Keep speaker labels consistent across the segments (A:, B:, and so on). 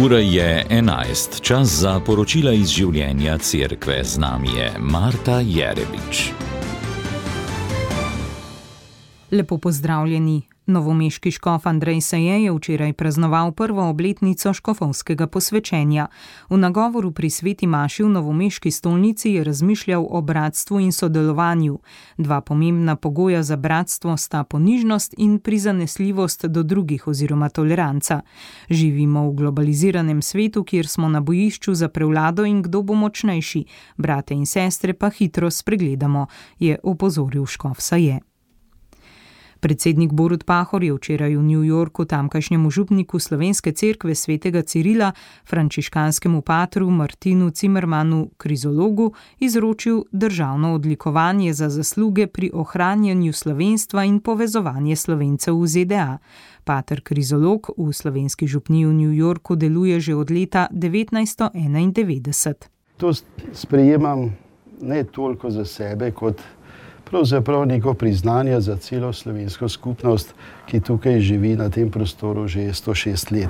A: Ura je 11, čas za poročila iz življenja cerkve. Z nami je Marta Jerebič.
B: Lepo pozdravljeni. Novomeški škof Andrej Seje je včeraj praznoval prvo obletnico škofovskega posvečenja. V nagovoru pri sveti maši v novomeški stolnici je razmišljal o bratstvu in sodelovanju. Dva pomembna pogoja za bratstvo sta ponižnost in prizanesljivost do drugih oziroma toleranca. Živimo v globaliziranem svetu, kjer smo na bojišču za prevlado in kdo bo močnejši. Brate in sestre pa hitro spregledamo, je opozoril škof Seje. Predsednik Borut Pahor je včeraj v New Yorku tamkajšnjemu župniku Slovenske cerkve svetega Cirila, frančiškanskemu patru Martinu Cimermanu Krizologu, izročil državno odlikovanje za zasluge pri ohranjanju slovenstva in povezovanje Slovencev v ZDA. Pater Krizolog v slovenski župniji v New Yorku deluje že od leta 1991.
C: To sprejemam ne toliko za sebe, kot pravzaprav neko priznanje za celo slovensko skupnost, ki tukaj živi na tem prostoru že 106 let.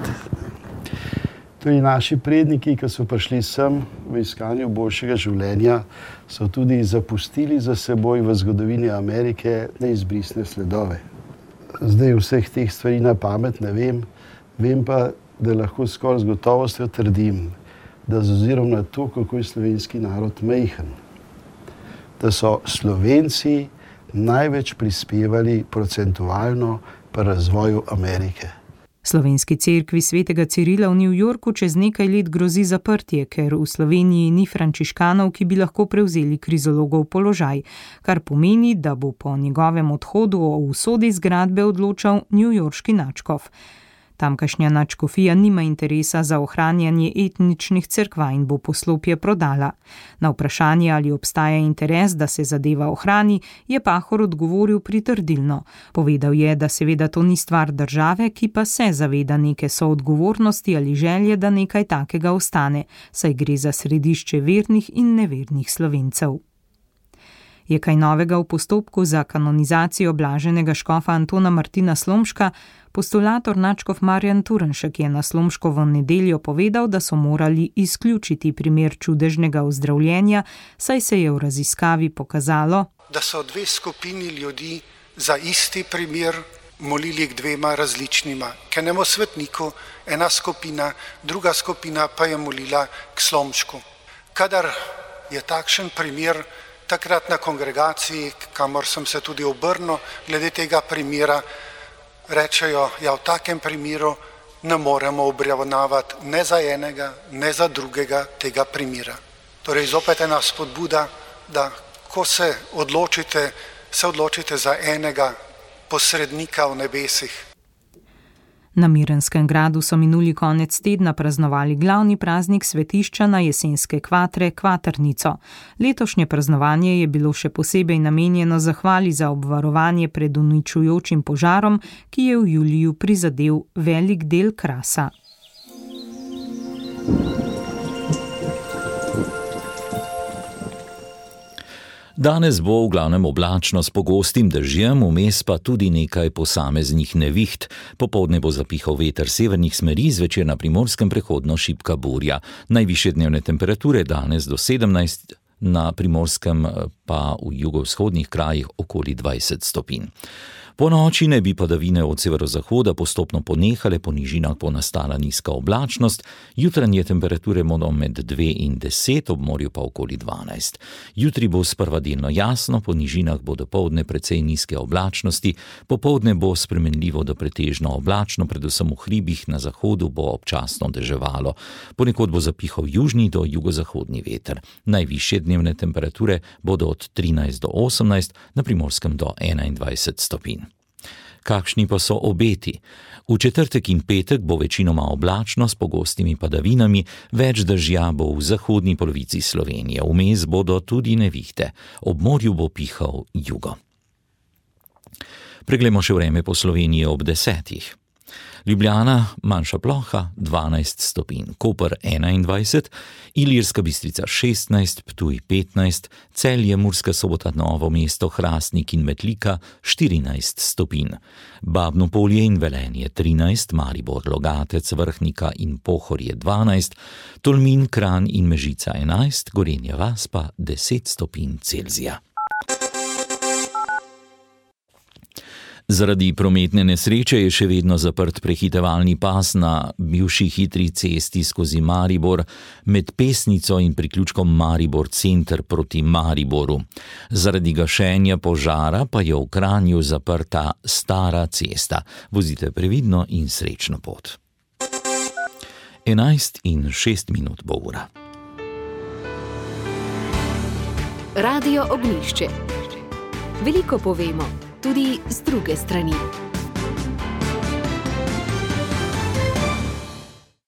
C: Tudi naši predniki, ki so prišli sem v iskanju boljšega življenja, so tudi zapustili za seboj v zgodovini Amerike neizbrisne sledove. Zdaj vseh teh stvari na pamet ne vem pa, da lahko skoraj z gotovostjo trdim, da z ozirom na to, kako je slovenski narod majhen, da so Slovenci največ prispevali procentualno pri razvoju Amerike.
B: Slovenski cerkvi svetega Cirila v New Yorku čez nekaj let grozi zaprtje, ker v Sloveniji ni frančiškanov, ki bi lahko prevzeli Krizologov položaj, kar pomeni, da bo po njegovem odhodu o usodi zgradbe odločal newyorški nadškof. Tamkajšnja nadškofija nima interesa za ohranjanje etničnih cerkva in bo poslopje prodala. Na vprašanje, ali obstaja interes, da se zadeva ohrani, je Pahor odgovoril pritrdilno. Povedal je, da seveda to ni stvar države, ki pa se zaveda neke soodgovornosti ali želje, da nekaj takega ostane, saj gre za središče vernih in nevernih Slovencev. Je kaj novega v postopku za kanonizacijo blaženega škofa Antona Martina Slomška? Postulator nadškof Marjan Turnšek je na Slomškovo nedeljo povedal, da so morali izključiti primer čudežnega ozdravljenja, saj se je v raziskavi pokazalo,
D: da so dve skupini ljudi za isti primer molili k dvema različnima, k enemu svetniku, ena skupina, druga skupina pa je molila k Slomšku. Kadar je takšen primer, takrat na kongregaciji, kamor sem se tudi obrnil, glede tega primera, rečejo, ja, v takem primeru ne moremo obravnavati ne za enega, ne za drugega tega primera. Torej, zopet ena spodbuda, da ko se odločite za enega posrednika v nebesih.
B: Na Mirenskem gradu so minuli konec tedna praznovali glavni praznik svetišča na jesenske kvatre, Kvatrnico. Letošnje praznovanje je bilo še posebej namenjeno zahvali za obvarovanje pred uničujočim požarom, ki je v juliju prizadel velik del Krasa.
A: Danes bo v glavnem oblačno s pogostim dežjem, vmes pa tudi nekaj posameznih neviht. Popoldne bo zapihal veter severnih smeri, zvečer na Primorskem prehodno šibka burja. Najvišje dnevne temperature danes do 17, na Primorskem pa v jugovzhodnih krajih okoli 20 stopinj. Po noči naj bi padavine od severozahoda postopno ponehale, po nižinah bo nastala nizka oblačnost, jutranje temperature bodo med 2 in 10, ob morju pa okoli 12. Jutri bo sprva delno jasno, po nižinah bo dopoldne precej nizke oblačnosti, popoldne bo spremenljivo do pretežno oblačno, predvsem v hribih na zahodu bo občasno deževalo. Ponekod bo zapihal južni do jugozahodni veter. Najvišje dnevne temperature bodo od 13 do 18, na Primorskem do 21 stopinj. Kakšni pa so obeti? V četrtek in petek bo večinoma oblačno s pogostimi padavinami, več dežja bo v zahodni polovici Slovenije, vmes bodo tudi nevihte, ob morju bo pihal jugo. Preglejmo še vreme po Sloveniji ob 10. Ljubljana, manjša ploha 12 stopinj, Koper 21, Ilirska Bistrica 16, Ptuj 15, Celje, Murska Sobota, Novo mesto, Hrastnik in Metlika 14 stopinj, Babno Polje in Velenje 13, Maribor, Logatec, Vrhnika in Pohorje 12, Tolmin, Kranj in Mežica 11, Gorenja vas pa 10 stopinj Celzija. Zaradi prometne nesreče je še vedno zaprt prehitevalni pas na bivši hitri cesti skozi Maribor med Pesnico in priključkom Maribor center proti Mariboru. Zaradi gašenja požara pa je v Kranju zaprta stara cesta. Vozite previdno in srečno pot. 11:06 bo ura.
E: Radio Ognjišče. Veliko povemo, tudi z druge strani.